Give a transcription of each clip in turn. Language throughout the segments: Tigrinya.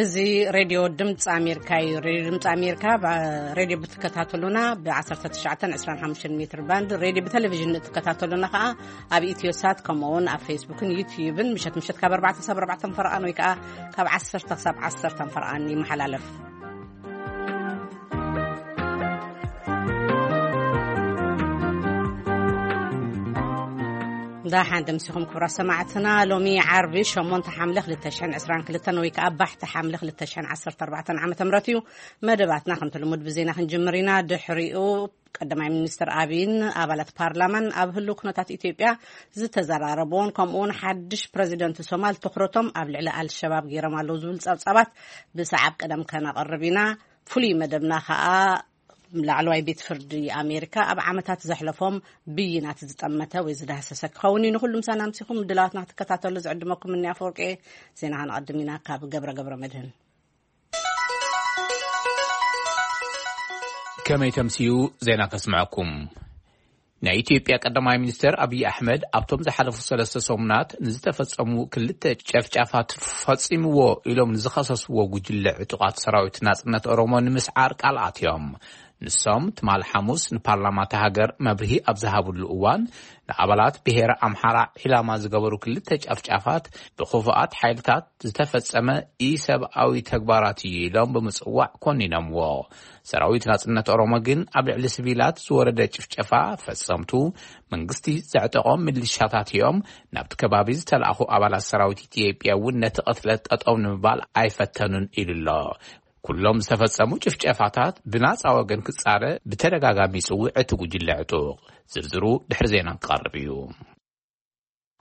እዚ ሬድዮ ድምፂ ኣሜሪካ እዩ። ሬድዮ ድምፂ ኣሜሪካ ብ-፣ ሬድዮ ብትከታተሉና ብ19 25 ሜትር ባንድ፣ ሬድዮ ብቴሌቪዥን እትከታተሉና ከዓ ኣብ ኢትዮሳት፣ ከምኡ እውን ኣብ ፌስቡክን ዩትዩብን ምሸት ምሸት ካብ 4 ክሳብ 4 ፈረቓን ወይ ከዓ ካብ 10 ክሳብ 10 ፈረቓን ይመሓላለፍ። እንዳ ሓንደ ምሲኹም ክቡራት ሰማዕትና፣ ሎሚ ዓርቢ 8 ሓምለ 2022 ወይ ከዓ ባሕቲ ሓምለ 2014 ዓመተ ምህረት እዩ። መደባትና ከምቲ ልሙድ ብዜና ክንጅምር ኢና። ድሕሪኡ ቀዳማይ ሚኒስትር ኣቢይን ኣባላት ፓርላማን ኣብ ህልው ኩነታት ኢትዮጵያ ዝተዘራረብዎን፣ ከምኡውን ሓድሽ ፕረዚደንት ሶማል ትኹረቶም ኣብ ልዕሊ ኣልሸባብ ገይሮም ኣለዉ ዝብል ጸብጻባት ብሰዓብ ቀደም ከነቕርብ ኢና። ፍሉይ መደብና ከኣ ላዕለዋይ ቤት ፍርዲ ኣሜሪካ ኣብ ዓመታት ዘሕለፎም ብይናት ዝጠመተ ወይ ዝዳህሰሰ ክኸውን እዩ። ንኹሉ ምሳና ኣምሲኹም ድላዋትና ክትከታተሉ ዝዕድመኩም እኒ ኣፈወርቂ። ዜና ከነቐድም ኢና ካብ ገብረ ገብረ መድህን። ከመይ ተምስዩ ዜና ከስምዐኩም። ናይ ኢትዮጵያ ቀዳማይ ሚኒስትር ኣብይ ኣሕመድ ኣብቶም ዝሓለፉ ሰለስተ ሰሙናት ንዝተፈጸሙ ክልተ ጨፍጫፋት ፈጺምዎ ኢሎም ንዝኸሰስዎ ጉጅለ ዕጡቓት ሰራዊት ናጽነት ኦሮሞ ንምስዓር ቃል ኣትዮም። ንሶም ትማል ሓሙስ ንፓርላማ እታ ሃገር መብርሂ ኣብ ዝሃብሉ እዋን፣ ንኣባላት ብሄረ ኣምሓራ ዒላማ ዝገበሩ ክልተ ጨፍጫፋት ብኽፉኣት ሓይልታት ዝተፈጸመ ኢሰብኣዊ ተግባራት እዩ ኢሎም ብምጽዋዕ ኮኒኖምዎ። ሰራዊት ናጽነት ኦሮሞ ግን ኣብ ልዕሊ ሲቪላት ዝወረደ ጭፍጨፋ ፈጸምቱ መንግስቲ ዘዕጠቖም ሚሊሻታት እዮም፣ ናብቲ ከባቢ ዝተላእኹ ኣባላት ሰራዊት ኢትዮጵያ እውን ነቲ ቅትለት ጠጠው ንምባል ኣይፈተኑን ኢሉ ኣሎ። ኩሎም ዝተፈጸሙ ጭፍጨፋታት ብናጻ ወገን ክጻረ ብተደጋጋሚ ይጽውዕ እቲ ጉጅለ ዕጡቕ። ዝርዝሩ ድሕሪ ዜና ክቐርብ እዩ።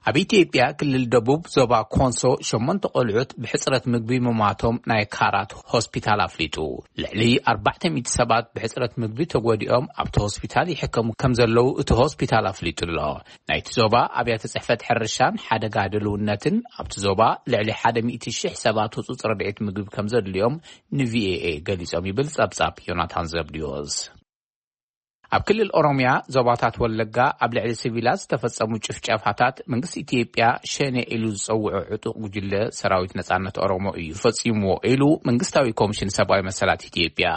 ኣብ ኢትዮጵያ ክልል ደቡብ ዞባ ኮንሶ ሸሞንተ ቆልዑት ብሕጽረት ምግቢ ምሟቶም ናይ ካራት ሆስፒታል ኣፍሊጡ። ልዕሊ ኣርባዕተ ሚእቲ ሰባት ብሕጽረት ምግቢ ተጎዲኦም ኣብቲ ሆስፒታል ይሕከሙ ከም ዘለዉ እቲ ሆስፒታል ኣፍሊጡ ኣሎ። ናይቲ ዞባ ኣብያተ ጽሕፈት ሕርሻን ሓደጋ ድልውነትን ኣብቲ ዞባ ልዕሊ ሓደ ሚእቲ ሽሕ ሰባት ህጹጽ ረድኤት ምግቢ ከም ዘድልዮም ንቪኦኤ ገሊጾም ይብል ጸብጻብ ዮናታን ዘብድዮስ። ኣብ ክልል ኦሮሚያ ዞባታት ወለጋ ኣብ ልዕሊ ሲቪላት ዝተፈጸሙ ጭፍጨፋታት መንግስቲ ኢትዮጵያ ሸኔ ኢሉ ዝጸውዖ ዕጡቕ ጉጅለ ሰራዊት ነጻነት ኦሮሞ እዩ ፈጺምዎ ኢሉ መንግስታዊ ኮሚሽን ሰብኣዊ መሰላት ኢትዮጵያ።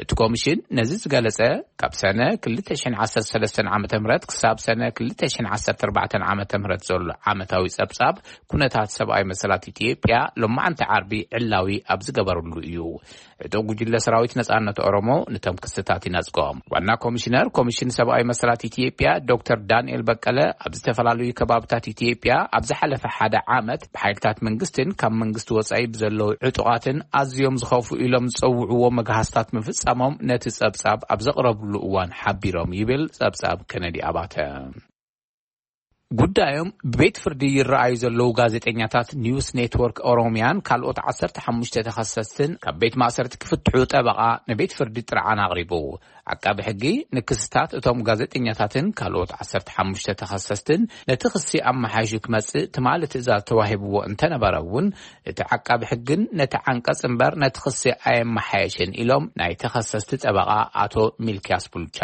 እቲ ኮሚሽን ነዚ ዝገለጸ ካብ ሰነ 2013 ዓመተ ምህረት ክሳብ ሰነ 2014 ዓመተ ምህረት ዘሎ ዓመታዊ ጸብጻብ ኩነታት ሰብኣዊ መሰላት ኢትዮጵያ ሎማዓንቲ ዓርቢ ዕላዊ ኣብ ዝገበረሉ እዩ። ዕጡቕ ጉጅለ ሰራዊት ነጻነት ኦሮሞ ነቶም ክስታት ይነጽጎም። ዋና ኮሚሽነር ኮሚሽን ሰብኣዊ መሰላት ኢትዮጵያ ዶክተር ዳንኤል በቀለ ኣብ ዝተፈላለዩ ከባብታት ኢትዮጵያ ኣብ ዝሓለፈ ሓደ ዓመት ብሓይልታት መንግስትን ካብ መንግስቲ ወጻኢ ብዘለዉ ዕጡቓትን ኣዝዮም ዝኸፉ ኢሎም ዝጸውዕዎ መግሃስታት ምፍጻሞም ነቲ ጸብጻብ ኣብ ዘቕረብሉ እዋን ሓቢሮም ይብል ጸብጻብ ከነዲ ኣባተ። ጉዳዮም ብቤት ፍርዲ ይረኣዩ ዘለዉ ጋዜጠኛታት ኒውስ ኔትወርክ ኦሮሚያን ካልኦት ዓሰርተ ሓሙሽተ ተኸሰስትን ካብ ቤት ማእሰርቲ ክፍትሑ ጠበቓ ንቤት ፍርዲ ጥርዓን ኣቕሪቡ። ዓቃቢ ሕጊ ንክስታት እቶም ጋዜጠኛታትን ካልኦት ዓሰርተ ሓሙሽተ ተኸሰስትን ነቲ ክሲ ኣመሓይሹ ክመጽእ ትማሊ ትእዛዝ ተዋሂብዎ እንተነበረ እውን፣ እቲ ዓቃቢ ሕግን ነቲ ዓንቀጽ እምበር ነቲ ክሲ ኣየመሓየሽን ኢሎም ናይ ተኸሰስቲ ጠበቓ ኣቶ ሚልኪያስ ቡልቻ።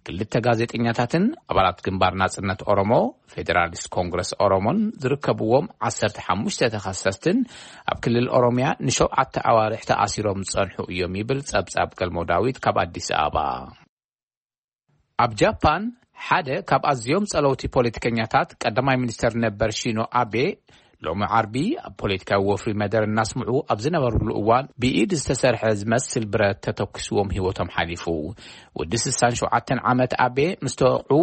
ክልተ ጋዜጠኛታትን ኣባላት ግንባር ናጽነት ኦሮሞ፣ ፌደራሊስት ኮንግረስ ኦሮሞን ዝርከብዎም ዓሰርተ ሓሙሽተ ተኸሰስትን ኣብ ክልል ኦሮሚያ ንሸውዓተ ኣዋርሕ ተኣሲሮም ዝጸንሑ እዮም ይብል ጸብጻብ ገልሞ ዳዊት ካብ ኣዲስ ኣበባ። ኣብ ጃፓን ሓደ ካብ ኣዝዮም ጸለውቲ ፖለቲከኛታት ቀዳማይ ሚኒስተር ነበር ሺኖ ኣቤ ሎሚ ዓርቢ ኣብ ፖለቲካዊ ወፍሪ መደር እናስምዑ ኣብ ዝነበሩሉ እዋን ብኢድ ዝተሰርሐ ዝመስል ብረት ተተኩስዎም ህይወቶም ሓሊፉ። ወዲ ስሳን ሸውዓተን ዓመት ኣቤ ምስ ተወቕዑ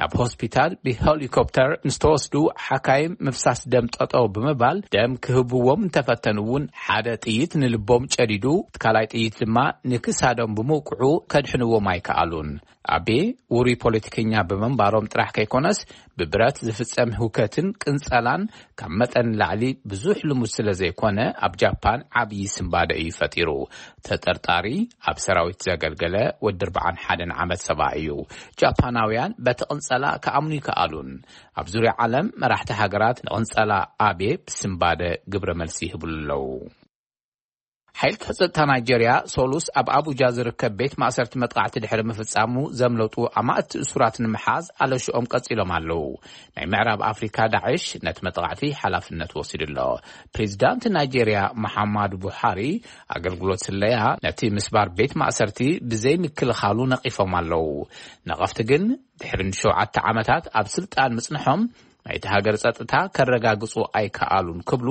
ናብ ሆስፒታል ብሄሊኮፕተር ምስ ተወስዱ ሓካይም ምፍሳስ ደም ጠጠው ብምባል ደም ክህብዎም እንተፈተኑ እውን ሓደ ጥይት ንልቦም ጨዲዱ፣ እቲ ካልኣይ ጥይት ድማ ንክሳዶም ብምውቅዑ ከድሕንዎም ኣይከኣሉን። ኣቤ ውሩይ ፖለቲከኛ ብምንባሮም ጥራሕ ከይኮነስ ብብረት ዝፍጸም ህውከትን ቅንጸላን ካብ መጠን ላዕሊ ብዙሕ ልሙድ ስለ ዘይኮነ ኣብ ጃፓን ዓብዪ ስንባደ እዩ ፈጢሩ። ተጠርጣሪ ኣብ ሰራዊት ዘገልገለ ወዲ ኣርባዓን ሓደን ዓመት ሰብኣይ እዩ። ጃፓናውያን በቲ ቅንጸላ ክኣምኑ ይከኣሉን። ኣብ ዙርያ ዓለም መራሕቲ ሃገራት ንቅንጸላ ኣቤ ብስንባደ ግብረ መልሲ ይህብሉ ኣለዉ። ሓይልታት ጸጥታ ናይጀርያ ሶሉስ ኣብ ኣቡጃ ዝርከብ ቤት ማእሰርቲ መጥቃዕቲ ድሕሪ ምፍጻሙ፣ ዘምለጡ ኣማእቲ እሱራት ንምሓዝ ኣለሽኦም ቀጺሎም ኣለዉ። ናይ ምዕራብ ኣፍሪካ ዳዕሽ ነቲ መጥቃዕቲ ሓላፍነት ወሲዱ ኣሎ። ፕሬዚዳንት ናይጀርያ መሓማዱ ቡሓሪ፣ ኣገልግሎት ስለያ ነቲ ምስባር ቤት ማእሰርቲ ብዘይ ምክልኻሉ ነቒፎም ኣለዉ። ነቐፍቲ ግን ድሕሪ ንሸውዓተ ዓመታት ኣብ ስልጣን ምጽንሖም፣ ናይቲ ሃገር ጸጥታ ከረጋግጹ ኣይከኣሉን ክብሉ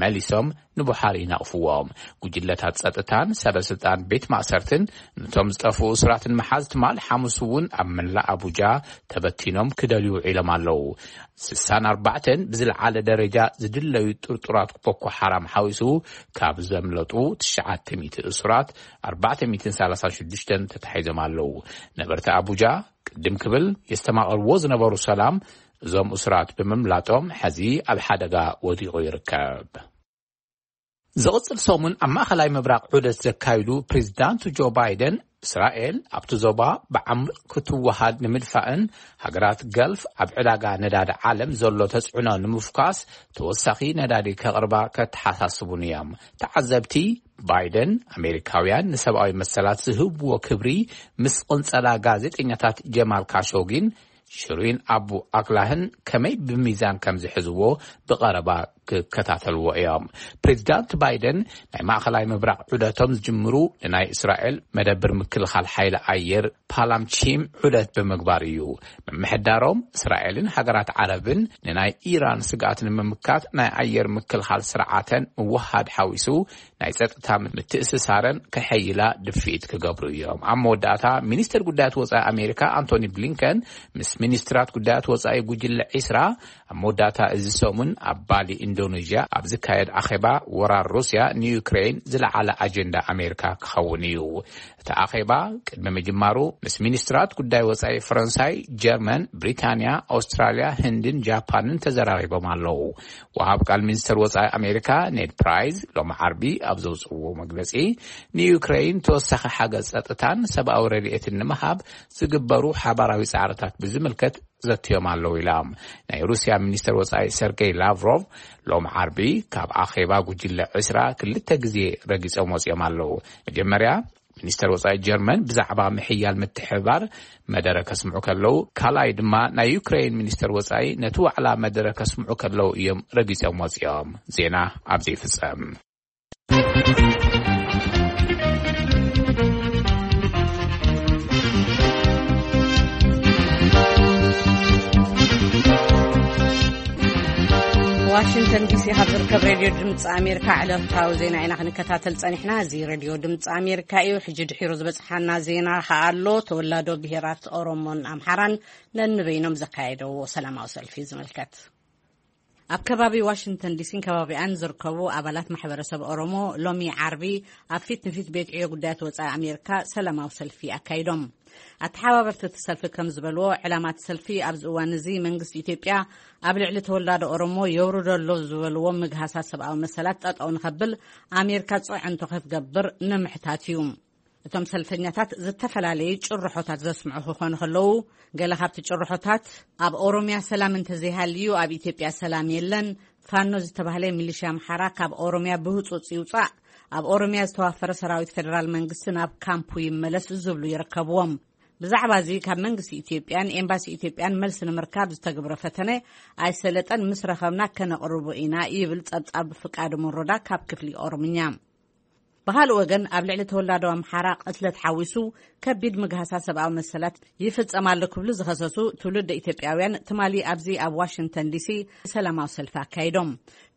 መሊሶም ንቡሓሪ ይነቕፍዎም። ጉጅለታት ጸጥታን ሰበ ስልጣን ቤት ማእሰርትን ነቶም ዝጠፍኡ እሱራትን መሓዝ ትማል ሓሙስ እውን ኣብ መላእ ኣቡጃ ተበቲኖም ክደልዩ ውዒሎም ኣለዉ። ስሳን ኣርባዕተን ብዝለዓለ ደረጃ ዝድለዩ ጥርጡራት ቦኮ ሓራም ሓዊሱ ካብ ዘምለጡ ትሽዓተ ሚእቲ እሱራት ኣርባዕተ ሚእትን ሰላሳን ሽዱሽተን ተታሒዞም ኣለዉ። ነበርቲ ኣቡጃ ቅድም ክብል የስተማቐርዎ ዝነበሩ ሰላም እዞም እሱራት ብምምላጦም፣ ሕዚ ኣብ ሓደጋ ወዲቑ ይርከብ። ዝቕጽል ሰሙን ኣብ ማእኸላይ ምብራቕ ዑደት ዘካይዱ ፕሬዚዳንት ጆ ባይደን፣ እስራኤል ኣብቲ ዞባ ብዓሚቕ ክትወሃድ ንምድፋእን ሃገራት ገልፍ ኣብ ዕዳጋ ነዳዲ ዓለም ዘሎ ተጽዕኖ ንምፍኳስ ተወሳኺ ነዳዲ ከቕርባ ከተሓሳስቡን እዮም። ተዓዘብቲ፣ ባይደን ኣሜሪካውያን ንሰብኣዊ መሰላት ዝህብዎ ክብሪ ምስ ቅንጸላ ጋዜጠኛታት ጀማል ካሾጊን ሽሪን ኣቡ ኣክላህን ከመይ ብሚዛን ከም ዝሕዝዎ ብቐረባ ክከታተልዎ እዮም። ፕሬዚዳንት ባይደን ናይ ማእኸላይ ምብራቕ ዑደቶም ዝጅምሩ ንናይ እስራኤል መደብር ምክልኻል ሓይሊ ኣየር ፓላምቺም ዑደት ብምግባር እዩ። ምምሕዳሮም እስራኤልን ሃገራት ዓረብን ንናይ ኢራን ስግኣት ንምምካት ናይ ኣየር ምክልኻል ስርዓተን ምውሃድ ሓዊሱ ናይ ጸጥታ ምትእስሳረን ከሐይላ ድፍኢት ክገብሩ እዮም። ኣብ መወዳእታ ሚኒስተር ጉዳያት ወጻኢ ኣሜሪካ ኣንቶኒ ብሊንከን ምስ ሚኒስትራት ጉዳያት ወጻኢ ጉጅለ ዒስራ ኣብ መወዳእታ እዚ ሰሙን ኣብ ባሊ ኢንዶኔዥያ ኣብ ዝካየድ ኣኼባ ወራር ሩስያ ንዩክሬን ዝለዓለ ኣጀንዳ ኣሜሪካ ክኸውን እዩ። እቲ ኣኼባ ቅድሚ ምጅማሩ ምስ ሚኒስትራት ጉዳይ ወጻኢ ፈረንሳይ፣ ጀርመን፣ ብሪታንያ፣ ኣውስትራልያ፣ ህንድን ጃፓንን ተዘራሪቦም ኣለዉ። ወሃብ ቃል ሚኒስተር ወጻኢ ኣሜሪካ ኔድ ፕራይዝ ሎም ዓርቢ ኣብ ዘውጽእዎ መግለጺ፣ ንዩክሬን ተወሳኺ ሓገዝ ጸጥታን ሰብኣዊ ረድኤትን ንምሃብ ዝግበሩ ሓባራዊ ጻዕርታት ብዝምልከት ዘትዮም ኣለዉ ኢላ። ናይ ሩስያ ሚኒስተር ወጻኢ ሰርጌይ ላቭሮቭ ሎም ዓርቢ ካብ ኣኼባ ጉጅለ ዕስራ ክልተ ግዜ ረጊጾም ወጺኦም ኣለዉ። መጀመርያ ሚኒስተር ወጻኢ ጀርመን ብዛዕባ ምሕያል ምትሕብባር መደረ ከስምዑ ከለዉ፣ ካልኣይ ድማ ናይ ዩክሬን ሚኒስተር ወጻኢ ነቲ ዋዕላ መደረ ከስምዑ ከለዉ እዮም ረጊጾም ወጺኦም። ዜና ኣብዚ ይፍጸም። ዋሽንግተን ዲሲ ካብ ዝርከብ ሬድዮ ድምፂ ኣሜሪካ ዕለታዊ ዜና ኢና ክንከታተል ጸኒሕና። እዚ ሬድዮ ድምፂ ኣሜሪካ እዩ። ሕጂ ድሒሩ ዝበፅሓና ዜና ከኣ ኣሎ። ተወላዶ ብሄራት ኦሮሞን ኣምሓራን ነንበይኖም ዘካየደዎ ሰላማዊ ሰልፊ ዝምልከት። ኣብ ከባቢ ዋሽንግተን ዲሲን ከባቢኣን ዝርከቡ ኣባላት ማሕበረሰብ ኦሮሞ ሎሚ ዓርቢ ኣብ ፊት ንፊት ቤት ዕዮ ጉዳያት ወጻኢ ኣሜሪካ ሰላማዊ ሰልፊ ኣካይዶም። ኣተሓባበርቲ እቲ ሰልፊ ከም ዝበልዎ፣ ዕላማ እቲ ሰልፊ ኣብዚ እዋን እዚ መንግስቲ ኢትዮጵያ ኣብ ልዕሊ ተወላዶ ኦሮሞ የውርዶ ኣሎ ዝበልዎ ምግሃሳት ሰብኣዊ መሰላት ጠጠው ንኸብል ኣሜሪካ ጽዕንቶ ከትገብር ንምሕታት እዩ። እቶም ሰልፈኛታት ዝተፈላለዩ ጭርሖታት ዘስምዑ ክኾኑ ከለዉ፣ ገለ ካብቲ ጭርሖታት፣ ኣብ ኦሮምያ ሰላም እንተዘይሃልዩ ኣብ ኢትዮጵያ ሰላም የለን፣ ፋኖ ዝተባህለ ሚሊሽያ ኣምሓራ ካብ ኦሮምያ ብህጹጽ ይውጻእ፣ ኣብ ኦሮምያ ዝተዋፈረ ሰራዊት ፌደራል መንግስቲ ናብ ካምፑ ይመለስ ዝብሉ ይርከብዎም። ብዛዕባ እዚ ካብ መንግስቲ ኢትዮጵያን ኤምባሲ ኢትዮጵያን መልሲ ንምርካብ ዝተገብረ ፈተነ ኣይሰለጠን፣ ምስ ረኸብና ከነቕርቦ ኢና ይብል ጸብጻብ ፍቃዱ መሮዳ ካብ ክፍሊ ኦሮምኛ። ብኻልእ ወገን፣ ኣብ ልዕሊ ተወላዶ ኣምሓራ ቅትለት ሓዊሱ ከቢድ ምግሃሳ ሰብኣዊ መሰላት ይፍጸም ኣሎ ክብሉ ዝኸሰሱ ትውልደ ኢትዮጵያውያን ትማሊ ኣብዚ ኣብ ዋሽንግተን ዲሲ ሰላማዊ ሰልፊ ኣካይዶም።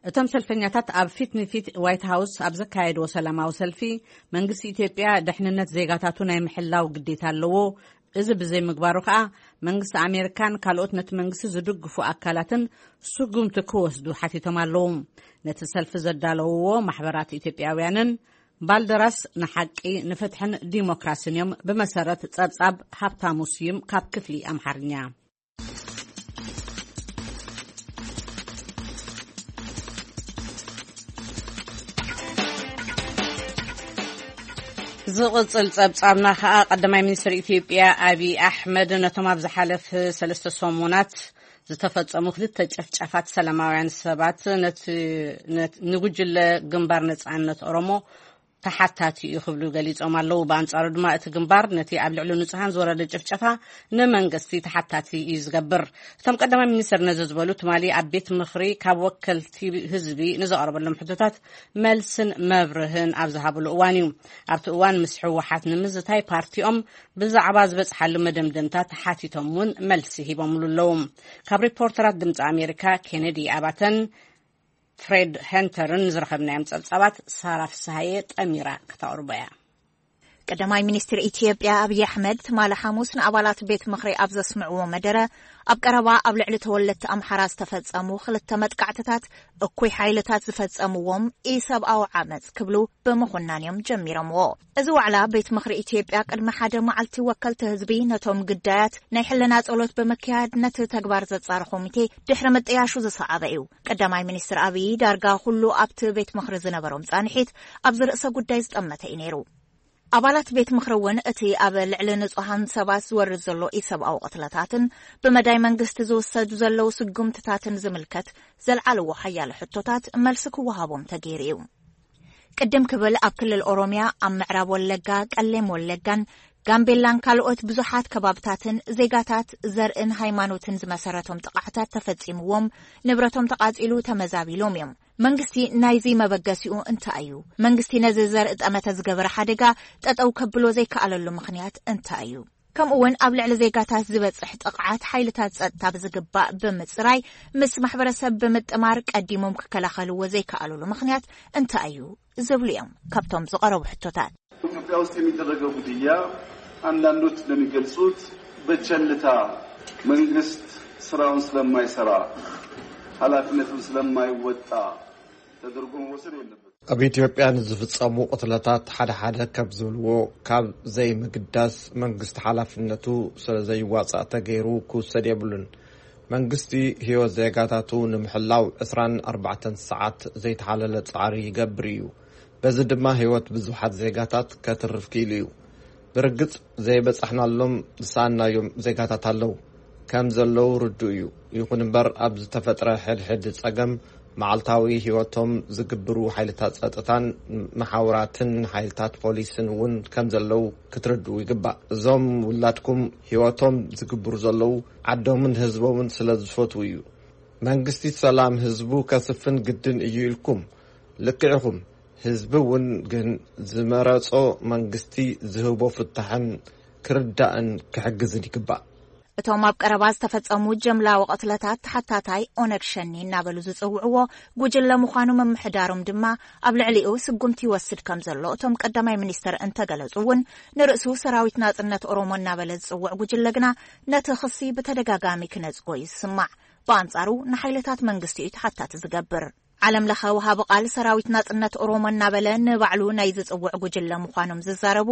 እቶም ሰልፈኛታት ኣብ ፊት ንፊት ዋይት ሃውስ ኣብ ዘካየድዎ ሰላማዊ ሰልፊ፣ መንግስቲ ኢትዮጵያ ድሕንነት ዜጋታቱ ናይ ምሕላው ግዴታ ኣለዎ፣ እዚ ብዘይምግባሩ ከኣ መንግስቲ ኣሜሪካን ካልኦት ነቲ መንግስቲ ዝድግፉ ኣካላትን ስጉምቲ ክወስዱ ሓቲቶም ኣለዉ። ነቲ ሰልፊ ዘዳለውዎ ማሕበራት ኢትዮጵያውያንን ባልደራስ ንሓቂ ንፍትሕን ዲሞክራስን እዮም፣ ብመሰረት ጸብጻብ ሃብታሙ ስዩም ካብ ክፍሊ ኣምሓርኛ። ዝቕጽል ጸብጻብና ከኣ፣ ቀዳማይ ሚኒስትር ኢትዮጵያ ኣብይ ኣሕመድ ነቶም ኣብ ዝሓለፈ ሰለስተ ሰሙናት ዝተፈጸሙ ክልተ ጨፍጫፋት ሰላማውያን ሰባት ነቲ፣ ነት-፣ ንጉጅለ ግንባር ነጻነት ኦሮሞ ተሓታቲ እዩ ክብሉ ገሊጾም ኣለዉ። ብኣንጻሩ ድማ እቲ ግንባር ነቲ ኣብ ልዕሊ ንጹሃን ዝወረደ ጭፍጨፋ ንመንግስቲ ተሓታቲ እዩ ዝገብር። እቶም ቀዳማይ ሚኒስትር ነዚ ዝበሉ ትማሊ ኣብ ቤት ምኽሪ ካብ ወከልቲ ህዝቢ ንዝቐረበሎም ሕቶታት መልስን መብርህን ኣብ ዝሃብሉ እዋን እዩ። ኣብቲ እዋን ምስ ህወሓት ንምዝታይ ፓርቲኦም ብዛዕባ ዝበጽሓሉ መደምደምታ ተሓቲቶም እውን መልሲ ሂቦምሉ ኣለዉ። ካብ ሪፖርተራት ድምፂ ኣሜሪካ ኬነዲ ኣባተን ፍሬድ ሄንተርን ዝረኸብናዮም ጸብጻባት ሳራ ፍስሃየ ጠሚራ ክተቕርቦ እያ። ቀዳማይ ሚኒስትር ኢትዮጵያ ኣብይ ኣሕመድ ትማሊ ሓሙስ ንኣባላት ቤት ምኽሪ ኣብ ዘስምዕዎ መደረ፣ ኣብ ቀረባ ኣብ ልዕሊ ተወለድቲ ኣምሓራ ዝተፈጸሙ ክልተ መጥቃዕትታት እኩይ ሓይልታት ዝፈጸምዎም ኢሰብኣዊ ዓመጽ ክብሉ ብምኹናን እዮም ጀሚሮምዎ። እዚ ዋዕላ ቤት ምኽሪ ኢትዮጵያ ቅድሚ ሓደ መዓልቲ ወከልቲ ህዝቢ ነቶም ግዳያት ናይ ሕልና ጸሎት ብምክያድ ነቲ ተግባር ዘጻሪ ኮሚቴ ድሕሪ ምጥያሹ ዝሰዓበ እዩ። ቀዳማይ ሚኒስትር ኣብይ ዳርጋ ኩሉ ኣብቲ ቤት ምኽሪ ዝነበሮም ጻንሒት ኣብዚ ርእሰ ጉዳይ ዝጠመተ እዩ ነይሩ። ኣባላት ቤት ምኽሪ እውን እቲ ኣብ ልዕሊ ንጹሃን ሰባት ዝወርድ ዘሎ ኢሰብኣዊ ቅትለታትን ብመዳይ መንግስቲ ዝወሰዱ ዘለዉ ስጉምትታትን ዝምልከት ዘልዓልዎ ሓያለ ሕቶታት መልሲ ክወሃቦም ተገይሩ እዩ። ቅድም ክብል ኣብ ክልል ኦሮሚያ ኣብ ምዕራብ ወለጋ፣ ቀሌም ወለጋን ጋምቤላን ካልኦት ብዙሓት ከባብታትን ዜጋታት ዘርእን ሃይማኖትን ዝመሰረቶም ጥቓዕታት ተፈጺምዎም፣ ንብረቶም ተቓጺሉ ተመዛቢሎም እዮም። መንግስቲ ናይዚ መበገሲኡ እንታይ እዩ? መንግስቲ ነዚ ዘርኢ ጠመተ ዝገበረ ሓደጋ ጠጠው ከብሎ ዘይከኣለሉ ምኽንያት እንታይ እዩ? ከምኡ እውን ኣብ ልዕሊ ዜጋታት ዝበጽሕ ጥቕዓት ሓይልታት ጸጥታ ብዝግባእ ብምጽራይ ምስ ማሕበረሰብ ብምጥማር ቀዲሞም ክከላኸልዎ ዘይከኣሉሉ ምኽንያት እንታይ እዩ? ዝብሉ እዮም ካብቶም ዝቐረቡ ሕቶታት። ኢትዮጵያ ውስጥ የሚደረገው ግድያ አንዳንዶች እንደሚገልጹት በቸልታ መንግስት ስራውን ስለማይሰራ ኃላፊነቱን ስለማይወጣ ተደርጎ መወሰድ የለበትም። ኣብ ኢትዮጵያ ንዝፍጸሙ ቅትለታት ሓደ ሓደ ከም ዝብልዎ ካብ ዘይምግዳስ መንግስቲ ሓላፍነቱ ስለ ዘይዋጻእ ተገይሩ ክውሰድ የብሉን። መንግስቲ ህይወት ዜጋታቱ ንምሕላው ዕስራን ኣርባዕተን ሰዓት ዘይተሓለለ ጻዕሪ ይገብር እዩ። በዚ ድማ ህይወት ብዙሓት ዜጋታት ከትርፍ ክኢሉ እዩ። ብርግጽ ዘይበጻሕናሎም ዝሰኣናዮም ዜጋታት ኣለዉ። ከም ዘለዉ ርዱእ እዩ። ይኹን እምበር ኣብ ዝተፈጥረ ሕድሕድ ጸገም መዓልታዊ ህይወቶም ዝግብሩ ሓይልታት ጸጥታን መሓውራትን ሓይልታት ፖሊስን እውን ከም ዘለዉ ክትርድኡ ይግባእ። እዞም ውላድኩም ህይወቶም ዝግብሩ ዘለዉ ዓዶምን ህዝቦምን ስለ ዝፈትዉ እዩ። መንግስቲ ሰላም ህዝቡ ከስፍን ግድን እዩ ኢልኩም። ልክዕ ኢኹም። ህዝቢ እውን ግን ዝመረጾ መንግስቲ ዝህቦ ፍታሕን ክርዳእን ክሕግዝን ይግባእ። እቶም ኣብ ቀረባ ዝተፈጸሙ ጀምላዊ ቅትለታት ተሓታታይ ኦነግ ሸኔ እናበሉ ዝጽውዕዎ ጉጅለ ምዃኑ ምምሕዳሮም ድማ ኣብ ልዕሊኡ ስጉምቲ ይወስድ ከም ዘሎ እቶም ቀዳማይ ሚኒስትር እንተገለጹ እውን፣ ንርእሱ ሰራዊት ናጽነት ኦሮሞ እናበለ ዝጽውዕ ጉጅለ ግና ነቲ ክሲ ብተደጋጋሚ ክነጽጎ እዩ ዝስማዕ። ብኣንጻሩ ንሓይልታት መንግስቲ እዩ ተሓታቲ ዝገብር። ዓለም ለኸ ወሃቢ ቃል ሰራዊት ናጽነት ኦሮሞ እናበለ ንባዕሉ ናይ ዝጽውዕ ጉጅለ ምዃኖም ዝዛረቡ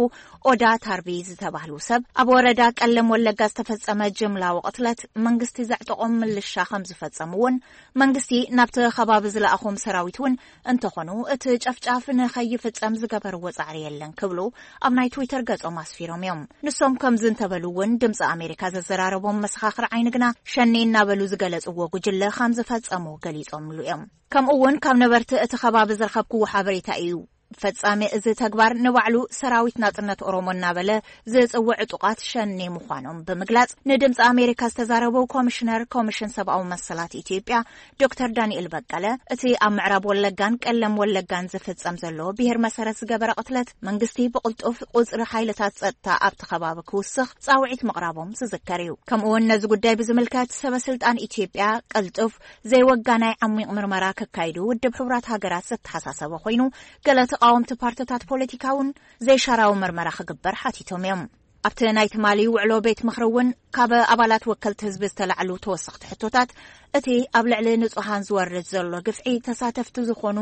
ኦዳ ታርቢ ዝተባህሉ ሰብ፣ ኣብ ወረዳ ቀለም ወለጋ ዝተፈጸመ ጅምላዊ ቅትለት መንግስቲ ዘዕጠቖም ምልሻ ከም ዝፈጸሙ እውን፣ መንግስቲ ናብቲ ከባቢ ዝለኣኾም ሰራዊት እውን እንተኾኑ እቲ ጨፍጫፍ ንኸይፍጸም ዝገበርዎ ጻዕሪ የለን ክብሉ ኣብ ናይ ትዊተር ገጾም ኣስፊሮም እዮም። ንሶም ከምዚ እንተበሉ እውን ድምፂ ኣሜሪካ ዘዘራረቦም መሰኻኽር ዓይኒ ግና ሸኔ እናበሉ ዝገለጽዎ ጉጅለ ከም ዝፈጸሙ ገሊጾምሉ እዮም። ከምኡ እውን ካብ ነበርቲ እቲ ከባቢ ዝረኸብክዎ ሓበሬታ እዩ። ፈጻሚ እዚ ተግባር ንባዕሉ ሰራዊት ናጽነት ኦሮሞ እናበለ ዝጽውዕ ዕጡቓት ሸኔ ምዃኖም ብምግላጽ ንድምፂ ኣሜሪካ ዝተዛረቡ ኮሚሽነር ኮሚሽን ሰብኣዊ መሰላት ኢትዮጵያ ዶክተር ዳንኤል በቀለ፣ እቲ ኣብ ምዕራብ ወለጋን ቀለም ወለጋን ዝፍጸም ዘሎ ብሄር መሰረት ዝገበረ ቅትለት መንግስቲ ብቕልጡፍ ቁጽሪ ሓይልታት ጸጥታ ኣብቲ ከባቢ ክውስኽ ጻውዒት ምቕራቦም ዝዝከር እዩ። ከምኡ እውን ነዚ ጉዳይ ብዝምልከት ሰበ ስልጣን ኢትዮጵያ ቅልጡፍ ዘይወጋናይ ዓሚቕ ምርመራ ከካይዱ ውድብ ሕቡራት ሃገራት ዘተሓሳሰበ ኮይኑ፣ ገለ ተቓወምቲ ፓርትታት ፖለቲካ እውን ዘይሻራዊ ምርመራ ክግበር ሓቲቶም እዮም። ኣብቲ ናይ ትማሊ ውዕሎ ቤት ምኽሪ እውን ካብ ኣባላት ወከልቲ ህዝቢ ዝተላዕሉ ተወሰኽቲ ሕቶታት፣ እቲ ኣብ ልዕሊ ንጹሃን ዝወርድ ዘሎ ግፍዒ ተሳተፍቲ ዝኾኑ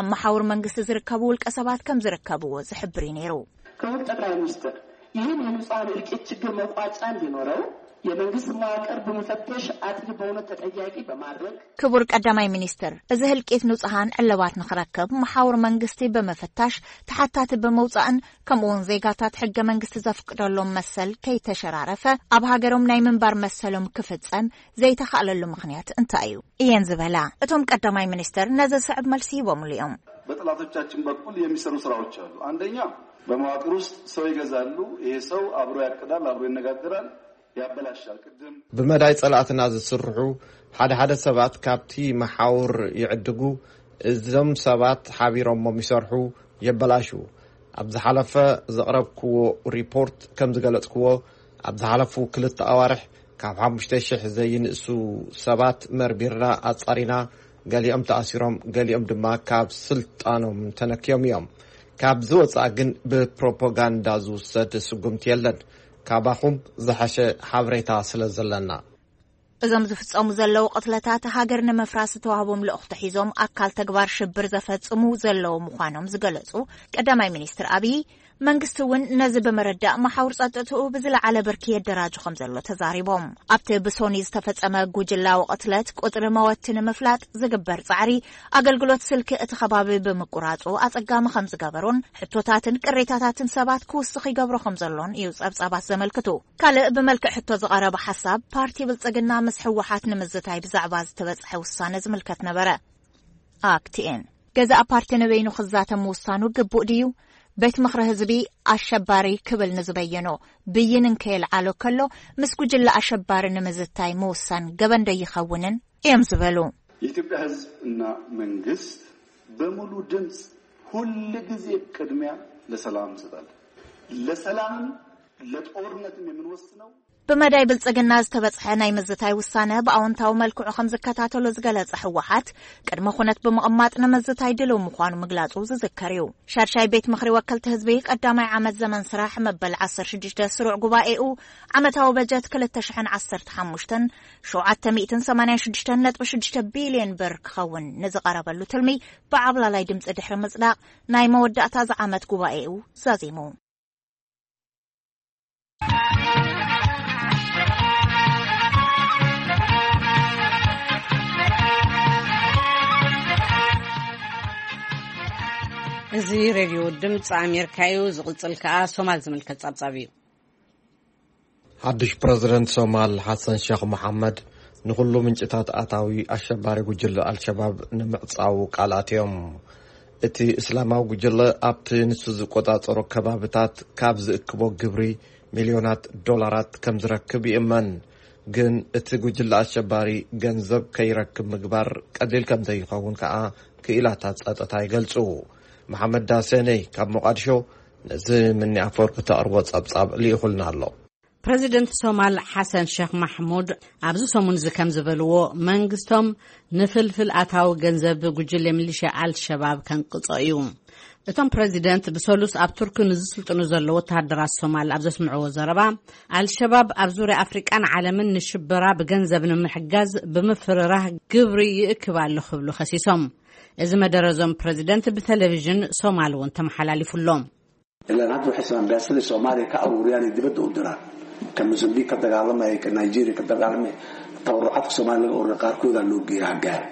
ኣብ መሓውር መንግስቲ ዝርከቡ ውልቀ ሰባት ከም ዝርከብዎ ዝሕብር እዩ ነይሩ። ክቡር ጠቅላይ ሚኒስትር፣ ይህን የንጹሃን እልቂት ችግር መቋጫ እንዲኖረው የመንግስት መዋቅር በመፈተሽ አጥፊ በእውነት ተጠያቂ በማድረግ ክቡር ቀዳማይ ሚኒስትር፣ እዚ ህልቂት ንጹሃን ዕልባት ንኽረክብ መሓውር መንግስቲ ብምፍታሽ፣ ተሓታቲ ብምውጻእን ከምኡውን ዜጋታት ሕገ መንግስቲ ዘፍቅደሎም መሰል ከይተሸራረፈ ኣብ ሃገሮም ናይ ምንባር መሰሎም ክፍጸም ዘይተኻእለሉ ምኽንያት እንታይ እዩ? እየን ዝበላ። እቶም ቀዳማይ ሚኒስትር ነዚ ዝስዕብ መልሲ ሂቦምሉ እዮም። በጠላቶቻችን በኩል የሚሰሩ ስራዎች አሉ። አንደኛ፣ በመዋቅር ውስጥ ሰው ይገዛሉ። ይሄ ሰው አብሮ ያቅዳል፣ አብሮ ይነጋገራል፣ ያበላሻል። ቅድም ብመዳይ ጸላእትና ዝስርሑ ሓደ ሓደ ሰባት ካብቲ መሓውር ይዕድጉ። እዞም ሰባት ሓቢሮሞም ይሰርሑ፣ የበላሹ። ኣብ ዝሓለፈ ዘቕረብክዎ ሪፖርት ከም ዝገለጽክዎ፣ ኣብ ዝሓለፉ ክልተ ኣዋርሕ ካብ ሓሙሽተ ሽሕ ዘይንእሱ ሰባት መርሚርና ኣጻሪና። ገሊኦም ተኣሲሮም፣ ገሊኦም ድማ ካብ ስልጣኖም ተነክዮም እዮም። ካብ ዝወጻእ ግን ብፕሮፓጋንዳ ዝውሰድ ስጉምቲ የለን። ካባኹም ዝሓሸ ሓበሬታ ስለ ዘለና። እዞም ዝፍጸሙ ዘለዉ ቅትለታት ሃገር ንምፍራስ ዝተዋህቦም ልእኽቶ ሒዞም ኣካል ተግባር ሽብር ዘፈጽሙ ዘለዉ ምዃኖም ዝገለጹ ቀዳማይ ሚኒስትር ኣብይ፣ መንግስቲ እውን ነዚ ብምርዳእ መሓውር ጸጥትኡ ብዝለዓለ ብርኪ የደራጁ ከም ዘሎ ተዛሪቦም። ኣብቲ ብሶኒ ዝተፈጸመ ጉጅላዊ ቅትለት ቁጽሪ መወቲ ንምፍላጥ ዝግበር ጻዕሪ፣ ኣገልግሎት ስልኪ እቲ ከባቢ ብምቁራጹ ኣጸጋሚ ከም ዝገበሮን ሕቶታትን ቅሬታታትን ሰባት ክውስኽ ይገብሮ ከም ዘሎን እዩ ጸብጻባት ዘመልክቱ። ካልእ ብመልክዕ ሕቶ ዝቐረበ ሓሳብ፣ ፓርቲ ብልጽግና ምስ ህወሓት ንምዝታይ ብዛዕባ ዝተበጽሐ ውሳነ ዝምልከት ነበረ። ኣክቲኤን፣ ገዛእ ፓርቲ ንበይኑ ክዛተ ምውሳኑ ግቡእ ድዩ? ቤት ምኽሪ ህዝቢ ኣሸባሪ ክብል ንዝበየኖ ብይን እንከየልዓሎ ከሎ፣ ምስ ጉጅለ ኣሸባሪ ንምዝታይ ምውሳን ገበን ዶ ይኸውንን እዮም ዝበሉ። የኢትዮጵያ ህዝብ እና መንግስት በሙሉ ድምፅ ሁል ጊዜ ቅድሚያ ለሰላም እንሰጣለን። ለሰላምም ለጦርነትም የምንወስነው ብመዳይ ብልጽግና ዝተበጽሐ ናይ ምዝታይ ውሳነ ብኣወንታዊ መልክዑ ከም ዝከታተሎ ዝገለጸ ህወሓት፣ ቅድመ ኩነት ብምቕማጥ ንምዝታይ ድልው ምዃኑ ምግላጹ ዝዝከር እዩ። ሻድሻይ ቤት ምኽሪ ወከልቲ ህዝቢ ቀዳማይ ዓመት ዘመን ስራሕ መበል ዓሰርተ ሽዱሽተ ስሩዕ ጉባኤኡ፣ ዓመታዊ በጀት ክልተ ሽሕን ዓሰርተ ሓሙሽተን ሸውዓተ ሚእትን ሰማንያን ሽዱሽተን ነጥቢ ሽዱሽተ ቢልዮን ብር ክኸውን ንዝቐረበሉ ትልሚ ብዓብላላይ ድምፂ ድሕሪ ምጽዳቕ፣ ናይ መወዳእታ ዝዓመት ጉባኤኡ ዛዚሙ። እዚ ሬድዮ ድምፂ ኣሜሪካ እዩ። ዝቕፅል ከኣ ሶማል ዝምልከት ጸብጻብ እዩ። ሓድሽ ፕረዚደንት ሶማል ሓሰን ሸኽ መሓመድ ንኹሉ ምንጭታት ኣታዊ ኣሸባሪ ጉጅለ ኣልሸባብ ንምዕጻው ቃል ኣትዮም። እቲ እስላማዊ ጉጅለ ኣብቲ ንሱ ዝቆጻጸሮ ከባብታት ካብ ዝእክቦ ግብሪ ሚልዮናት ዶላራት ከም ዝረክብ ይእመን። ግን እቲ ጉጅለ ኣሸባሪ ገንዘብ ከይረክብ ምግባር ቀሊል ከም ዘይኸውን ከኣ ክኢላታት ጸጥታ ይገልጹ። መሓመድ ዳሰነይ ካብ ሞቓድሾ ነዚ ምኒ ኣፈወርቂ ተቕርቦ ጸብጻብ ልኢኹልና ኣሎ። ፕረዚደንት ሶማል ሓሰን ሸኽ ማሕሙድ ኣብዚ ሰሙን እዚ ከም ዝበልዎ፣ መንግስቶም ንፍልፍል ኣታዊ ገንዘብ ጉጅለ ሚሊሽያ ኣልሸባብ ከንቅጾ እዩ። እቶም ፕረዚደንት ብሰሉስ ኣብ ቱርኪ ንዝስልጥኑ ዘለዉ ወተሃደራት ሶማል ኣብ ዘስምዕዎ ዘረባ፣ ኣልሸባብ ኣብ ዙርያ ኣፍሪቃን ዓለምን ንሽበራ ብገንዘብ ንምሕጋዝ ብምፍርራህ ግብሪ ይእክብ ኣሎ ክብሉ ከሲሶም። እዚ መደረ እዞም ፕረዚደንት ብቴሌቪዥን ሶማል እውን ተመሓላሊፉ ኣሎ። Ilaa hadda waxay Soomaaliya ka aruuriyaan ay dibadda u diraan. Ka Mozambique ka dagaalamaya, ka Nigeria ka dagaalamaya, tabarucaadka Soomaaliya laga ururiya qaarkooda loo geeya ha gaara.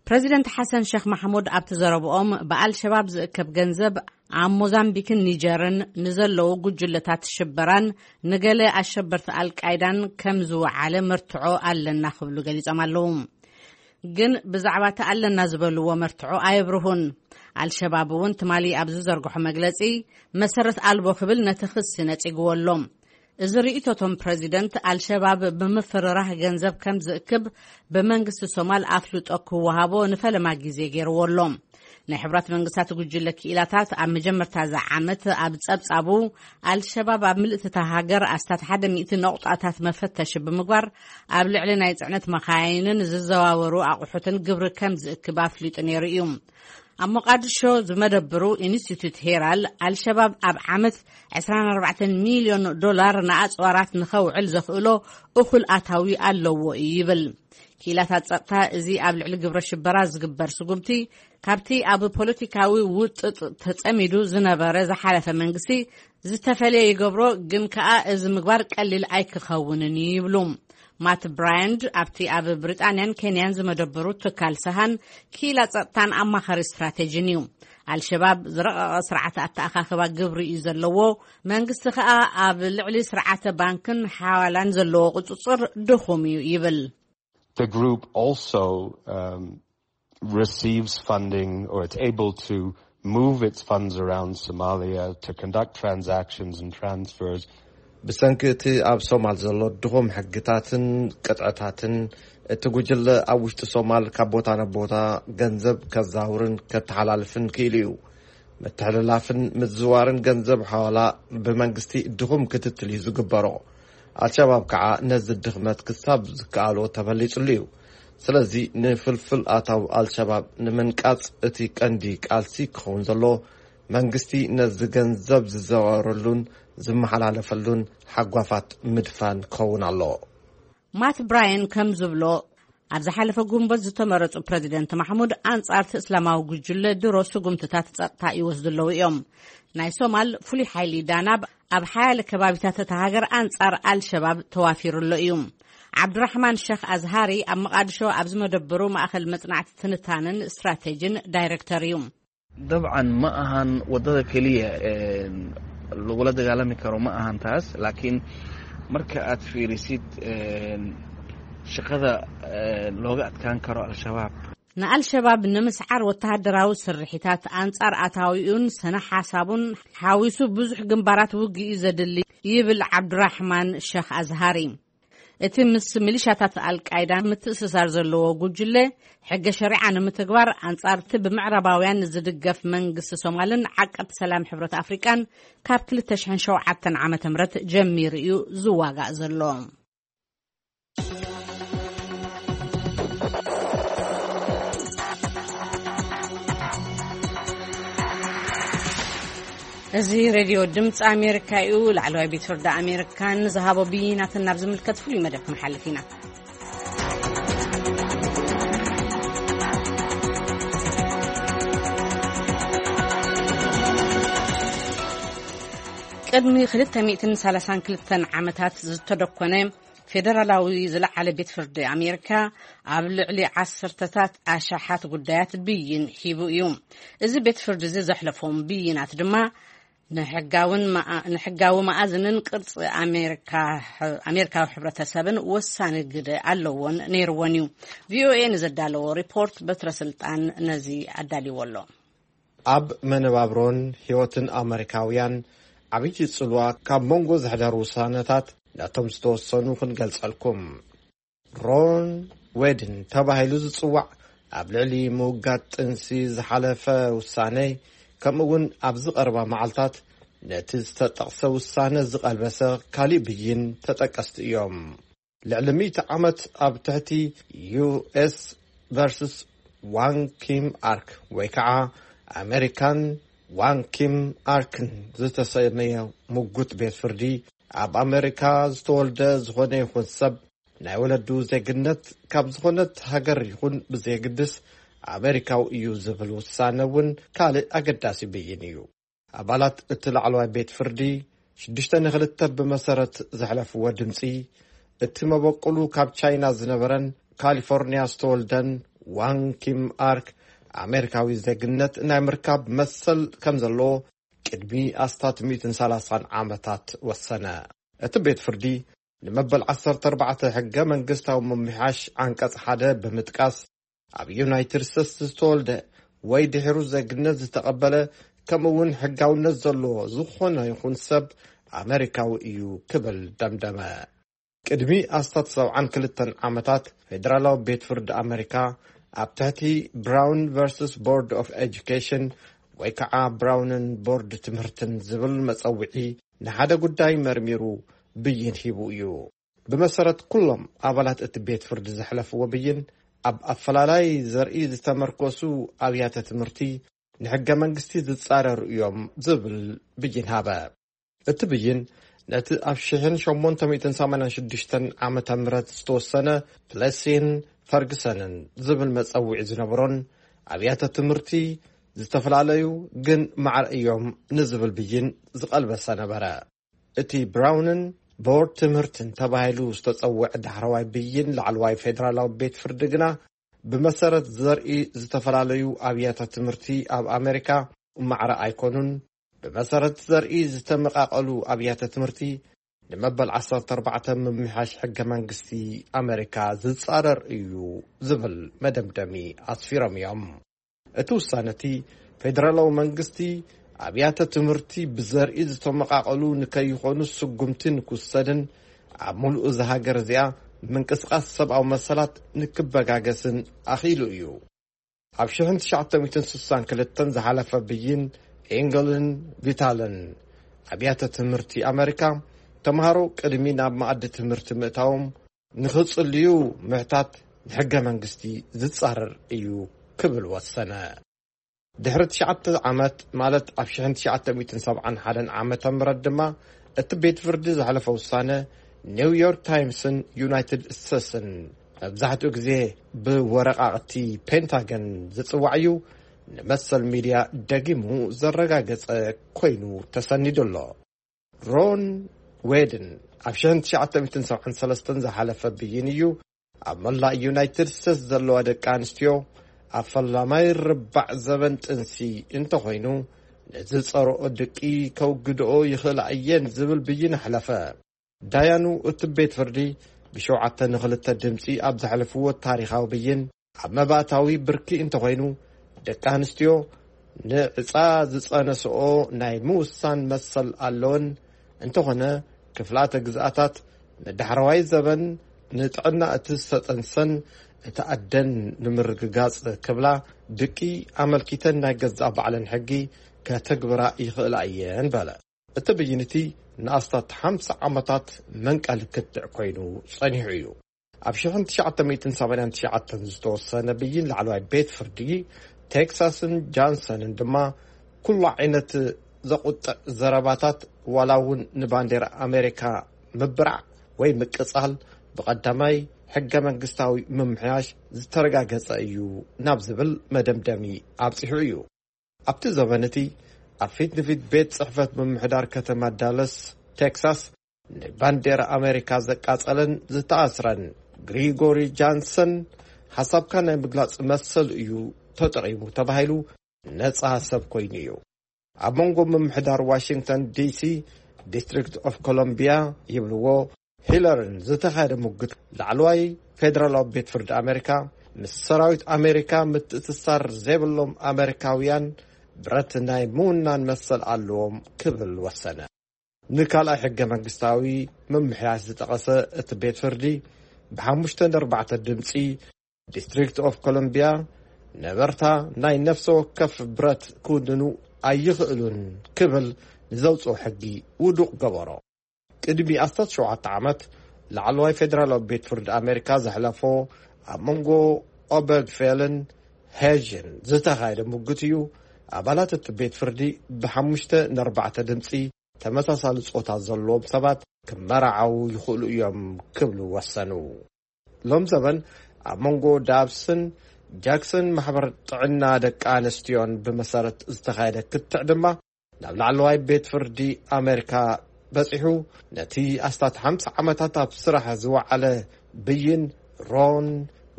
ፕረዚደንት ሓሰን ሸኽ ማሕሙድ ኣብቲ ዘረብኦም፣ ብኣልሸባብ ዝእከብ ገንዘብ ኣብ ሞዛምቢክን ኒጀርን ንዘለዉ ጉጅለታት ሽበራን ንገለ ኣሸበርቲ ኣልቃይዳን ከም ዝወዓለ መርትዖ ኣለና ክብሉ ገሊጾም ኣለዉ። ግን ብዛዕባ እቲ ኣለና ዝበልዎ መርትዖ ኣየብርሁን። ኣልሸባብ እውን ትማሊ ኣብ ዝዘርግሖ መግለጺ፣ መሰረት ኣልቦ ክብል ነቲ ክሲ ነጺግዎ ኣሎ። እዚ ርእይቶ እቶም ፕረዚደንት፣ ኣልሸባብ ብምፍርራህ ገንዘብ ከም ዝእክብ ብመንግስቲ ሶማል ኣፍልጦ ክወሃቦ ንፈለማ ግዜ ገይርዎ ኣሎ። ናይ ሕቡራት መንግስታት ጉጅለ ክኢላታት ኣብ መጀመርታ እዚ ዓመት ኣብ ጸብጻቡ፣ ኣልሸባብ ኣብ ምልእቲ እታ ሃገር ኣስታት ሓደ ሚእቲ ነቑጣታት መፈተሺ ብምግባር፣ ኣብ ልዕሊ ናይ ጽዕነት መኻይንን ዝዘዋወሩ ኣቑሑትን ግብሪ ከም ዝእክብ ኣፍሊጡ ነይሩ እዩ። ኣብ ሞቓድሾ ዝመደብሩ ኢንስቲትዩት ሄራል፣ ኣልሸባብ ኣብ ዓመት ዕስራን ኣርባዕተን ሚልዮን ዶላር ንኣጽዋራት ንኸውዕል ዘኽእሎ እኹል ኣታዊ ኣለዎ እዩ ይብል። ክኢላታት ጸጥታ፣ እዚ ኣብ ልዕሊ ግብረ ሽበራ ዝግበር ስጉምቲ፣ ካብቲ ኣብ ፖለቲካዊ ውጥጥ ተጸሚዱ ዝነበረ ዝሓለፈ መንግስቲ ዝተፈልየ ይገብሮ፣ ግን ከኣ እዚ ምግባር ቀሊል ኣይክኸውንን እዩ ይብሉ። ማት ብራያንድ ኣብቲ ኣብ ብሪጣንያን ኬንያን ዝመደበሩ ትካል ሰሃን ክኢላ ጸጥታን ኣማኻሪ ስትራቴጂን እዩ። ኣልሸባብ ዝረቐቐ ስርዓት ኣተኣኻኽባ ግብሪ እዩ ዘለዎ፣ መንግስቲ ከኣ ኣብ ልዕሊ ስርዓተ ባንክን ሓዋላን ዘለዎ ቁጽጽር ድኹም እዩ ይብል። The group also, um, receives funding or it's able to move its funds around Somalia to conduct transactions and transfers. ብሰንኪ እቲ ኣብ ሶማል ዘሎ ድኹም ሕግታትን ቅጥዕታትን፣ እቲ ጉጅለ ኣብ ውሽጢ ሶማል ካብ ቦታ ናብ ቦታ ገንዘብ ከዛውርን ከተሓላልፍን ክኢሉ እዩ። ምትሕልላፍን ምዝዋርን ገንዘብ ሓዋላ ብመንግስቲ ድኹም ክትትል እዩ ዝግበሮ። ኣልሸባብ ከዓ ነዚ ድኽመት ክሳብ ዝከኣሎ ተበሊጹሉ እዩ። ስለዚ ንፍልፍል ኣታዊ ኣልሸባብ ንምንቃጽ እቲ ቀንዲ ቃልሲ ክኸውን ዘሎ መንግስቲ ነዚ ገንዘብ ዝዘዋወረሉን ዝመሓላለፈሉን ሓጓፋት ምድፋን ክኸውን ኣሎ። ማት ብራየን ከም ዝብሎ፣ ኣብ ዝሓለፈ ጉንበት ዝተመረጹ ፕረዚደንት ማሕሙድ ኣንጻርቲ እስላማዊ ጉጅለ ድሮ ስጉምትታት ጸጥታ ይወስዱ ኣለዉ እዮም። ናይ ሶማል ፍሉይ ሓይሊ ዳናብ ኣብ ሓያለ ከባቢታት እታ ሃገር ኣንጻር ኣልሸባብ ተዋፊሩ ኣሎ እዩ። ዓብዱራሕማን ሸኽ ኣዝሃሪ ኣብ መቓድሾ ኣብ ዝመደበሩ ማእኸል መጽናዕቲ ትንታንን ስትራቴጂን ዳይሬክተር እዩ። dabcan ma ahan wadada keliya lagula dagaalami karo, ma ahan taas, laakiin marka aad fiirisid shaqada looga adkaan karo al-shabaab. ንኣልሸባብ ንምስዓር ወተሃደራዊ ስርሒታት ኣንጻር ኣታዊኡን ስነ ሓሳቡን ሓዊሱ ብዙሕ ግንባራት ውግእ እዩ ዘድሊ፣ ይብል ዓብዱራሕማን ሸኽ ኣዝሃሪ። እቲ ምስ ሚሊሻታት ኣልቃይዳ ምትእስሳር ዘለዎ ጉጅለ፣ ሕገ ሸሪዓ ንምትግባር ኣንጻርቲ ብምዕራባውያን ዝድገፍ መንግስቲ ሶማልን ዓቀብቲ ሰላም ሕብረት ኣፍሪቃን ካብ ክልተ ሽሕን ሸውዓተን ዓመተ ምህረት ጀሚሩ እዩ ዝዋጋእ ዘሎ። እዚ ሬድዮ ድምፂ ኣሜሪካ እዩ። ላዕለዋይ ቤት ፍርዲ ኣሜሪካ ንዝሃቦ ብይናትን ናብ ዝምልከት ፍሉይ መደብ ክንሓልፍ ኢና። ቅድሚ ክልተ ሚእትን ሰላሳን ክልተን ዓመታት ዝተደኮነ ፌደራላዊ ዝለዓለ ቤት ፍርዲ ኣሜሪካ ኣብ ልዕሊ ዓሰርተታት ኣሽሓት ጉዳያት ብይን ሂቡ እዩ። እዚ ቤት ፍርዲ እዚ ዘሕለፎም ብይናት ድማ ንሕጋዊ መኣዝንን ቅርፂ ኣሜሪካዊ ሕብረተሰብን ወሳኒ ግደ ኣለዎን ነይርዎን እዩ። ቪኦኤ ንዘዳለዎ ሪፖርት በትረ ስልጣን ነዚ ኣዳልዎ ኣሎ። ኣብ መነባብሮን ህይወትን ኣመሪካውያን ዓብዪ ጽልዋ ካብ መንጎ ዘሕደሩ ውሳነታት ነቶም ዝተወሰኑ ክንገልጸልኩም። ሮን ዌድን ተባሂሉ ዝጽዋዕ ኣብ ልዕሊ ምውጋድ ጥንሲ ዝሓለፈ ውሳነ፣ ከምኡ እውን ኣብዚ ቀረባ መዓልታት ነቲ ዝተጠቕሰ ውሳነ ዝቐልበሰ ካሊእ ብይን ተጠቀስቲ እዮም። ልዕሊ ሚእቲ ዓመት ኣብ ትሕቲ ዩ ኤስ ቨርስስ ዋን ኪም ኣርክ ወይ ከዓ ኣሜሪካን ዋን ኪም ኣርክን ዝተሰመየ ምጉት ቤት ፍርዲ፣ ኣብ ኣሜሪካ ዝተወልደ ዝኾነ ይኹን ሰብ ናይ ወለዱ ዜግነት ካብ ዝኾነት ሃገር ይኹን ብዘየግድስ ኣሜሪካዊ እዩ ዝብል ውሳነ እውን ካልእ ኣገዳሲ ብይን እዩ። ኣባላት እቲ ላዕለዋይ ቤት ፍርዲ ሽዱሽተ ንክልተ ብመሰረት ዘሕለፍዎ ድምፂ፣ እቲ መበቆሉ ካብ ቻይና ዝነበረን ካሊፎርኒያ ዝተወልደን ዋን ኪም ኣርክ ኣሜሪካዊ ዜግነት ናይ ምርካብ መሰል ከም ዘለዎ ቅድሚ ኣስታት ሚእትን ሰላሳን ዓመታት ወሰነ። እቲ ቤት ፍርዲ ንመበል ዓሰርተ ኣርባዕተ ሕገ መንግስታዊ ምምሕያሽ ዓንቀጽ ሓደ ብምጥቃስ፣ ኣብ ዩናይትድ ስቴትስ ዝተወልደ ወይ ድሒሩ ዜግነት ዝተቐበለ፣ ከምኡ እውን ሕጋውነት ዘለዎ ዝኾነ ይኹን ሰብ ኣመሪካዊ እዩ ክብል ደምደመ። ቅድሚ ኣስታት ሰብዓን ክልተን ዓመታት ፌደራላዊ ቤት ፍርዲ ኣመሪካ ኣብ ትሕቲ ብራውን ቨርስስ ቦርድ ኦፍ ኤጁኬሽን ወይ ከዓ ብራውንን ቦርድ ትምህርትን ዝብል መጸውዒ ንሓደ ጉዳይ መርሚሩ ብይን ሂቡ እዩ። ብመሰረት ኩሎም ኣባላት እቲ ቤት ፍርዲ ዘሕለፍዎ ብይን፣ ኣብ ኣፈላላይ ዘርኢ ዝተመርኮሱ ኣብያተ ትምህርቲ ንሕገ መንግስቲ ዝጻረሩ እዮም ዝብል ብይን ሃበ። እቲ ብይን ነቲ ኣብ ሽሕን ሸሞንተ ሚእትን ሰማንያን ሽዱሽተን ዓመተ ምህረት ዝተወሰነ ፕለሲን ፈርግሰንን ዝብል መጸውዒ ዝነበሮን ኣብያተ ትምህርቲ ዝተፈላለዩ ግን ማዕረ እዮም ንዝብል ብይን ዝቐልበሰ ነበረ። እቲ ብራውንን ቦርድ ትምህርትን ተባሂሉ ዝተጸውዐ ዳሕረዋይ ብይን ላዕለዋይ ፌደራላዊ ቤት ፍርዲ ግና ብመሰረት ዘርኢ ዝተፈላለዩ ኣብያተ ትምህርቲ ኣብ ኣሜሪካ ማዕረ ኣይኮኑን። ብመሰረት ዘርኢ ዝተመቓቐሉ ኣብያተ ትምህርቲ ንመበል ዓሰርተ ኣርባዕተ ምምሕያሽ ሕገ መንግስቲ ኣመሪካ ዝጻረር እዩ ዝብል መደምደሚ ኣስፊሮም እዮም። እቲ ውሳነ እቲ ፌደራላዊ መንግስቲ ኣብያተ ትምህርቲ ብዘርኢ ዝተመቓቐሉ ንከይኾኑ ስጉምቲ ንክውሰድን ኣብ ሙሉእ እዛ ሃገር እዚኣ ምንቅስቓስ ሰብኣዊ መሰላት ንክበጋገስን ኣኽኢሉ እዩ። ኣብ ሽሕን ትሽዓተ ሚእትን ስሳን ክልተን ዝሓለፈ ብይን ኤንገልን ቪታልን ኣብያተ ትምህርቲ ኣመሪካ ተምሃሮ ቅድሚ ናብ መኣዲ ትምህርቲ ምእታዎም ንኽጽልዩ ምሕታት ንሕገ መንግስቲ ዝጻረር እዩ ክብል ወሰነ። ድሕሪ ትሽዓተ ዓመት፣ ማለት ኣብ ሽሕን ትሽዓተ ሚእትን ሰብዓን ሓደን ዓመተ ምህረት ድማ፣ እቲ ቤት ፍርዲ ዘሕለፈ ውሳነ ኒው ዮርክ ታይምስን ዩናይትድ ስቴትስን፣ መብዛሕትኡ ግዜ ብወረቓቕቲ ፔንታገን ዝጽዋዕ እዩ፣ ንመሰል ሚድያ ደጊሙ ዘረጋገጸ ኮይኑ ተሰኒዱ ኣሎ። ሮን ዌድን ኣብ ሽሕን ትሽዓተ ሚእትን ሰብዓን ሰለስተን ዝሓለፈ ብይን እዩ፣ ኣብ መላእ ዩናይትድ ስቴትስ ዘለዋ ደቂ ኣንስትዮ ኣብ ፈላማይ ርባዕ ዘበን ጥንሲ እንተኾይኑ፣ ንዝጸርኦ ድቂ ከውግድኦ ይኽእላ እየን ዝብል ብይን ኣሕለፈ። ዳያኑ እቲ ቤት ፍርዲ ብሸውዓተ ንኽልተ ድምጺ ኣብ ዘሕለፍዎ ታሪኻዊ ብይን፣ ኣብ መባእታዊ ብርኪ እንተኾይኑ፣ ደቂ ኣንስትዮ ንዕጻ ዝጸነስኦ ናይ ምውሳን መሰል ኣለወን። እንተኾነ፣ ክፍላተ ግዝኣታት ንዳሕረዋይ ዘበን ንጥዕና እቲ ዝተጠንሰን እቲ ኣደን ንምርግጋጽ ክብላ ድቂ ኣመልኪተን ናይ ገዛእ ባዕለን ሕጊ ከተግብራ ይኽእላ እየን በለ። እቲ ብይን እቲ ንኣስታት ሓምሳ ዓመታት መንቀሊ ክትዕ ኮይኑ ጸኒሑ እዩ። ኣብ ሽሕን ትሽዓተ ሚእትን ሰማንያን ትሽዓተን ዝተወሰነ ብይን ላዕለዋይ ቤት ፍርዲ ቴክሳስን ጃንሰንን ድማ፣ ኩሉ ዓይነት ዘቑጥዕ ዘረባታት፣ ዋላ እውን ንባንዴራ ኣሜሪካ ምብራዕ ወይ ምቅጻል፣ ብቐዳማይ ሕገ መንግስታዊ ምምሕያሽ ዝተረጋገጸ እዩ ናብ ዝብል መደምደሚ ኣብጺሑ እዩ። ኣብቲ ዘበን እቲ፣ ኣብ ፊት ንፊት ቤት ጽሕፈት ምምሕዳር ከተማ ዳለስ ቴክሳስ፣ ንባንዴራ ኣሜሪካ ዘቃጸለን ዝተኣስረን ግሪጎሪ ጃንሰን፣ ሓሳብካ ናይ ምግላጽ መሰል እዩ ተጠቒሙ ተባሂሉ፣ ነጻ ሰብ ኮይኑ እዩ። ኣብ መንጎ ምምሕዳር ዋሽንግተን ዲሲ፣ ዲስትሪክት ኦፍ ኮሎምቢያ ይብልዎ፣ ሂለርን ዝተኻየደ ሙግት፣ ላዕለዋይ ፌደራላዊ ቤት ፍርዲ ኣሜሪካ፣ ምስ ሰራዊት ኣሜሪካ ምትእስሳር ዘይብሎም ኣሜሪካውያን ብረት ናይ ምውናን መሰል ኣለዎም ክብል ወሰነ። ንካልኣይ ሕገ መንግስታዊ ምምሕያሽ ዝጠቐሰ እቲ ቤት ፍርዲ፣ ብሓሙሽተ ንኣርባዕተ ድምፂ፣ ዲስትሪክት ኦፍ ኮሎምቢያ ነበርታ ናይ ነፍሰ ወከፍ ብረት ክውንኑ ኣይኽእሉን ክብል ንዘውፅኦ ሕጊ ውዱቕ ገበሮ። ቅድሚ ኣስታት ሸውዓተ ዓመት፣ ላዕለዋይ ፌደራላዊ ቤት ፍርዲ ኣሜሪካ ዘሕለፎ ኣብ መንጎ ኦበርግፌልን ሄዥን ዝተኻየደ ሙግት እዩ፣ ኣባላት እቲ ቤት ፍርዲ ብሓሙሽተ ንኣርባዕተ ድምፂ፣ ተመሳሳሊ ጾታ ዘለዎም ሰባት ክመራዓዉ ይኽእሉ እዮም ክብሉ ወሰኑ። ሎም ዘበን፣ ኣብ መንጎ ዳብስን ጃክሰን ማሕበር ጥዕና ደቂ ኣንስትዮን ብመሰረት ዝተኻየደ ክትዕ ድማ፣ ናብ ላዕለዋይ ቤት ፍርዲ ኣሜሪካ በጺሑ፣ ነቲ ኣስታት ሓምሳ ዓመታት ኣብ ስራሕ ዝወዓለ ብይን ሮን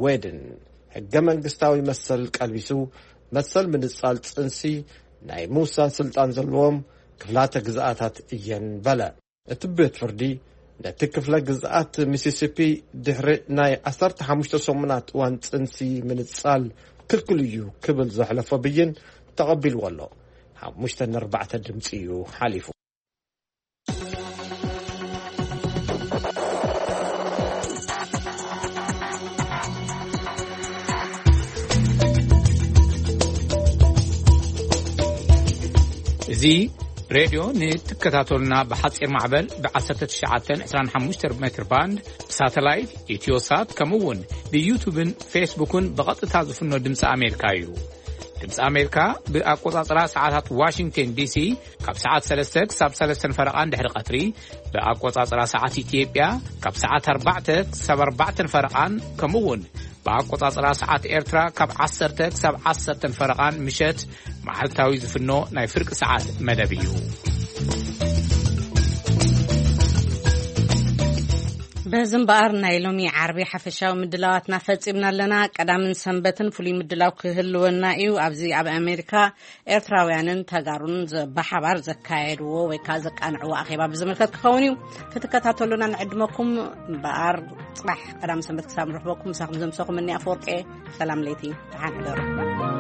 ዌድን፣ ሕገ መንግስታዊ መሰል ቀልቢሱ፣ መሰል ምንጻል ጽንሲ ናይ ምውሳን ስልጣን ዘለዎም ክፍላተ ግዝኣታት እየን በለ። እቲ ቤት ፍርዲ፣ ነቲ ክፍለ ግዝኣት ሚሲሲፒ ድሕሪ ናይ ዓሰርተ ሓሙሽተ ሰሙናት እዋን ጽንሲ ምንጻል ክልክል እዩ ክብል ዘሕለፎ ብይን ተቐቢልዎ ኣሎ። ሓሙሽተ ንኣርባዕተ ድምጺ እዩ ሓሊፉ። እዚ ሬድዮ ንትከታተሉና ብሓጺር ማዕበል ብ19 25 ሜትር ባንድ፣ ብሳተላይት፣ ኢትዮሳት፣ ከምኡ እውን ብዩቱብን ፌስቡክን ብቐጥታ ዝፍኖ ድምፂ ኣሜሪካ እዩ። ድምፂ ኣሜሪካ ብኣቆጻጽራ ሰዓታት ዋሽንግተን ዲሲ ካብ ሰዓት ሰለስተ ክሳብ ሰለስተን ፈረቓን ድሕሪ ቀትሪ፣ ብኣቆጻጽራ ሰዓት ኢትዮጵያ ካብ ሰዓት ኣርባዕተ ክሳብ ኣርባዕተን ፈረቓን፣ ከምኡ እውን ብኣቆጻጽራ ሰዓት ኤርትራ ካብ ዓሰርተ ክሳብ ዓሰርተን ፈረቓን ምሸት መዓልታዊ ዝፍኖ ናይ ፍርቂ ሰዓት መደብ እዩ። በዚ እምበኣር ናይ ሎሚ ዓርቢ ሓፈሻዊ ምድላዋትና ፈጺምና ኣለና። ቀዳምን ሰንበትን ፍሉይ ምድላው ክህልወና እዩ። ኣብዚ ኣብ ኣሜሪካ ኤርትራውያንን ተጋሩን ብሓባር ዘካየድዎ ወይ ከዓ ዘቃንዕዎ ኣኼባ ብዝምልከት ክኸውን እዩ። ክትከታተሉና ንዕድመኩም። እምበኣር ጽባሕ ቀዳም ሰንበት ክሳብ ንረኽበኩም፣ ምሳኹም ዘምሰኹም እኒ ኣፈወርቂ። ሰላም ለይቲ፣ ደሓን ሕደሩ።